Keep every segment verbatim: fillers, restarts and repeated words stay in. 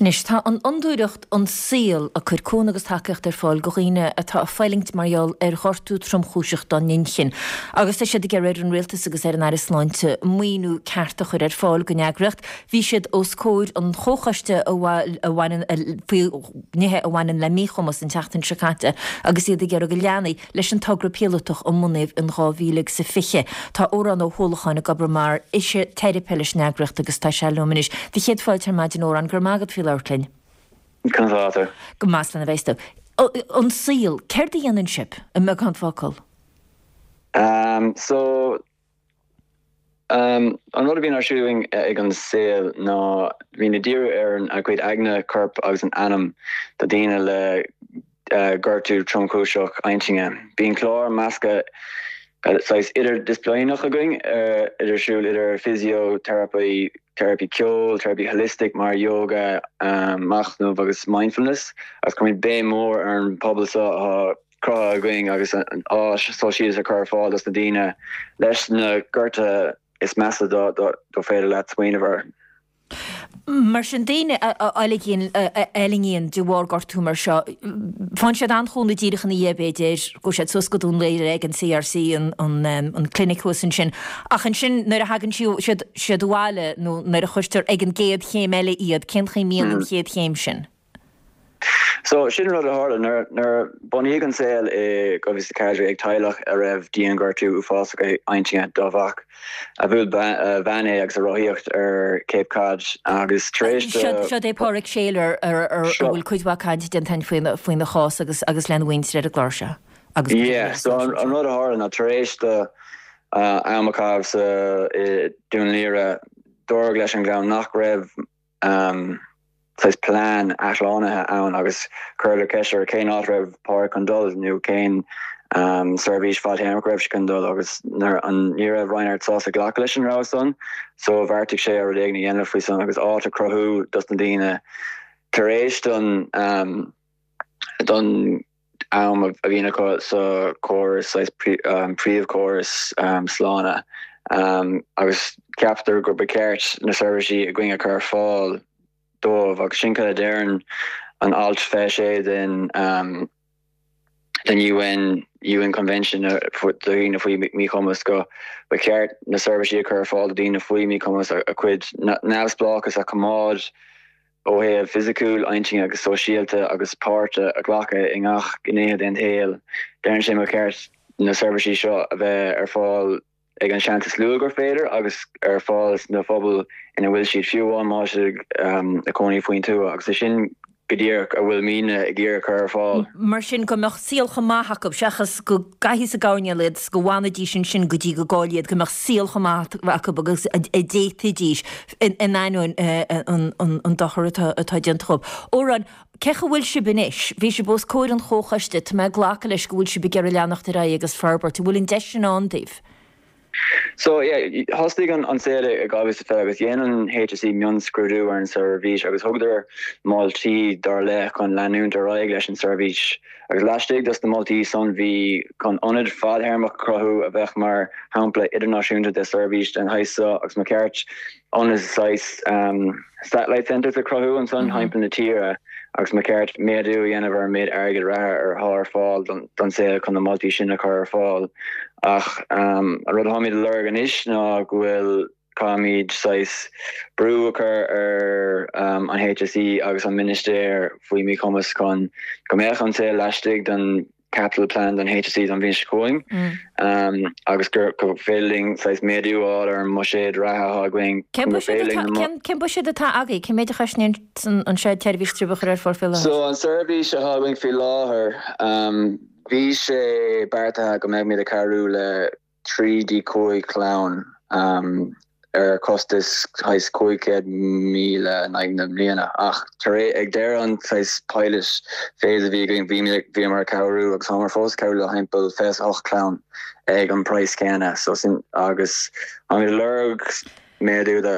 Anois tá an fhondúireacht An Saol ag cur cúnamh agus tacaíocht ar fáil do dhaoine atá ag fulaingt mar gheall ar ghortú tromchúiseach dá n-inchinn. Agus tá siad ag iarraidh ar an rialtas agus ar an Aire Sláinte maoiniú ceart a chur ar fáil don eagraíocht. Bhí siad os comhair an chomhchoiste a bhaineann faoi nithe a bhaineann le míchumas an tseachtain seo caite agus iad ag iarraidh go leanfaí leis an togra píolótach a bunaíodh in dhá mhíle agus a fiche. Tá Odhrán Ó hUallacháin ag obair mar fhisiteiripe leis an eagraíocht agus tá sé liom anois. Do chéad fáilte ar maidin Odhrán go raibh maith agat faoi labhairt linn. Conas atá tú? Go maith lena bheith tú. An Saol, céard a dhéanann sibh i mbeagán focal? Um, so um, an rud a bhíonn ar siúl ag An Saol ná bíonn ag díriú ar an a gcuid aigne corp agus an anam do daoine le uh, gortú tromchúiseach intinne. Bíonn clár measctha saghas idirdhisciplíneach againn uh, idir siúl idir physiotherapy, therapy ceol, therapy holistic mar yoga, um, machnamh agus mindfulness, agus cuirimid béim mór ar an pobal seo atá cruthaithe againn agus an áis sóisialta a chur ar fáil dos na daoine leis na gortuithe is measa do do do féidir leat smaoineamh air. Mar sin daoine a fhulaingíonn de bharr gortú mar seo, faigheann siad an-chúnamh díreach ina dhiaidh b'fhéidir, go siad suas go Dún Laoghaire ag an CRC an an clinic thuas ansin. Ach ansin nuair a thagann siad siad abhaile nó nuair a chuirtear ag an gcéad chéim eile iad, cén chaoi a mbíonn an chéad chéim sin? So sin rud a tharla nuair nuair bunaíodh An Saol i dhá mhíle ceathair ag teaghlach a raibh dianghortú uafásach intinne dá mhac a bhuail veain é agus a rothaíocht ar Cape Cod agus tar éis Seo é Pádraig Shayler ar a bhfuil cuid mhaith cainte déanta faoina faoina chás agus agus lena mhuintir ar an gclár seo. Agus Yeah, so an, an rud a tharla ná tar éis do uh, am a chaitheamh sa i Dún Laoghaire dúradh leis an gclann nach raibh um, saghas plean athshlánaithe ann agus cuireadh ceist ar cén áit raibh Pádraig chun dul nó cén um, seirbhís fadtéarmach raibh sé chun dul agus nuair an ní raibh Reinhard sásta glacadh leis an rogha san, so bheartaigh sé ar rud éigin a dhéanamh faoi san agus áit a chruthú dos na daoine tar éis don um, don am a bhíonn acu sa chóras saghas um, príomhchóras um, sláinte um, agus ceaptar gur ba cheart na seirbhísí againn a chur ar fáil dóibh agus sin a deireann an alt fiche sé den um, den UN UN Convention do dhaoine faoi míchumas go ba cheart na seirbhísí a chur ar fáil do daoine faoi míchumas a cuid neamhspleáchas a choimeád ó thaobh fisiciúil intinne agus sóisialta agus páirt a ghlacadh i ngach gné den saol. Deireann sé ba cheart na seirbhísí seo a bheith ar fáil ag an seans is lú gur féidir agus ar fáil na phobail ina bhfuil siad fiú amháin má um, ag cónaí faoin tuath agus é sin go díreach a bhfuil muidne ag iarraidh chur ar fáil. Mar sin go mbeadh saol chomh maith acu seachas go gcaithfí sa gcoirnéal iad go bhfanfaidís ansin go dtí go gcáileoidh go mbeadh saol chomh maith acu agus a d'fhéadfaidís in ainneoin an dochar atá déanta dóibh. Odhrán, cé go bhfuil sibh anois, bhí sibh os comhair an chomhchoiste tá mé ag glacadh leis go bhfuil sibh ag iarraidh leanacht ar aghaidh agus forbairt, bhfuil an deis sin ann daoibh. So yeah, thosaigh an An Saol i dhá mhíle fiche agus dhein an HSE mionscrúdú ar an seirbhís agus thugadar moltaí dar leith chun leanúint ar aghaidh leis an seirbhís. Agus laistigh dos na moltaí san bhí chun ionad fadtéarmach cruthú a bheadh mar shampla idirnáisiúnta de seirbhís den shaghas seo agus ba cheart ionad saghas um, satellite centers a chruthú ansan mm -hmm. timpeall na tíre agus ba cheart méadú a dhéanamh ar an méid airgead reatha ar atá ar fáil don, don Saol chun na moltaí sin a chur ar fáil. Ach um, an rud atáimid ag lorg anois ná go bhfuil caithfimid saghas brú a chur ar um, an HSE agus an Ministéir faoi míchumas chun go mbeadh An Saol laistigh den capital plan don HSE don bhliain seo chugainn mm. um, agus gur go féidir linn saghas méadú ar an mbuiséad reatha againn Cén buiséad atá agaibh cén méid a chosnaíonn an tseirbhís a chur ar fáil faoi láthair? So an seirbhís atá againn faoi láthair um, bhí sé beartaithe go mbeimid ag cabhrú le trí dtí cúig chlann um, ar costas saghas cúig chéad míle in aghaidh na bliana ach tar ag deireadh an saghas pilot phase a bhí againn bhí bhí mar cabhrú agus táimid fós cabhrú le timpeall fiche ocht clann ag an praghas céanna so sin agus an lorg méadú de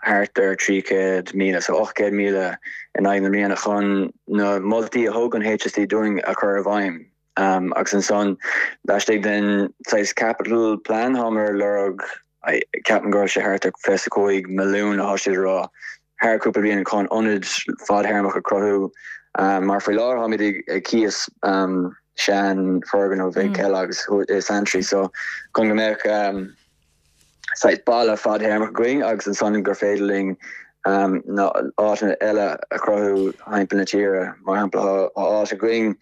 thart ar trí chéad míle so ocht chéad míle in aghaidh na bliana chun na moltaí a thug an HSE dúinn a chur i bhfeidhm. Um, agus ansan laistigh den saghas capital plan táimid ag lorg ceapaim go sé thart ar fiche cúig milliún atá siad rá thar cúpla bliain chun ionad fadtéarmach a chruthú mar faoi láthair táimid ag cíos sean foirgneamh ag Kellogg's i Santry so chun go mbeadh saghas baile fadtéarmach againn agus ansan gur féidir linn na áiteanna eile a chruthú timpeall na tíre mar shampla tá áit againn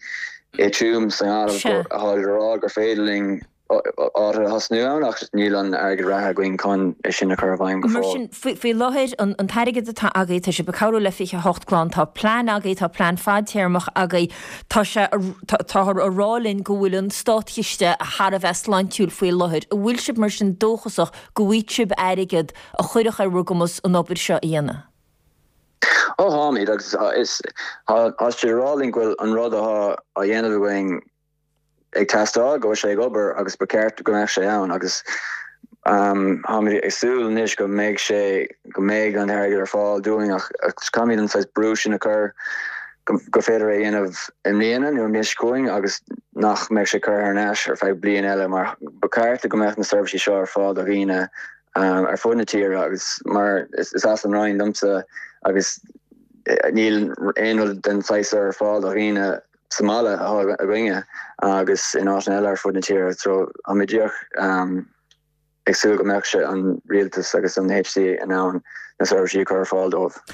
i Tuaim sa nGaillimh atá ag rá gur féidir linn áit a thosnú ann ach níl an airgead reatha againn chun é sin a chur i bhfeidhm go Mar sin faoi láthair an an t-airgead atá agaibh tá sibh ag cabhrú le fiche a hocht clann tá plean agaibh tá plean fadtéarmach agaibh tá sé táthar a rá linn go bhfuil an státchiste thar a bheith sláintiúil faoi láthair. An bhfuil sibh mar sin dóchasach go bhfaighidh sibh airgead a chuirfeadh ar bhur gcumas an obair seo a dhéanamh? Ó táimid agus is tá siad ag rá linn go bhfuil an rud atá á dhéanamh againn ag teastáil go bhfuil sé ag obair agus ba cheart go mbeadh sé ann agus táimid ag súil anois go mbeidh sé go mbeidh an t-airgead ar fáil dúinn ach caithfimid an saghas brú sin a chur go féidir é a dhéanamh i mbliana nó an bhliain seo chugainn agus nach mbeidh sé curtha ar ais ar feadh bliain eile mar ba cheart go mbeadh na seirbhísí seo ar fáil do dhaoine ar fud na tíre agus mar is as an Rinn domsa agus níl aon rud den saghas ar fáil do dhaoine sa mbaile atá againne agus in áiteanna eile ar fud na tíre so táimid díreach ag súil go mbeadh sé an rialtas agus an HSE in ann na seirbhísí a chur ar fáil dóibh.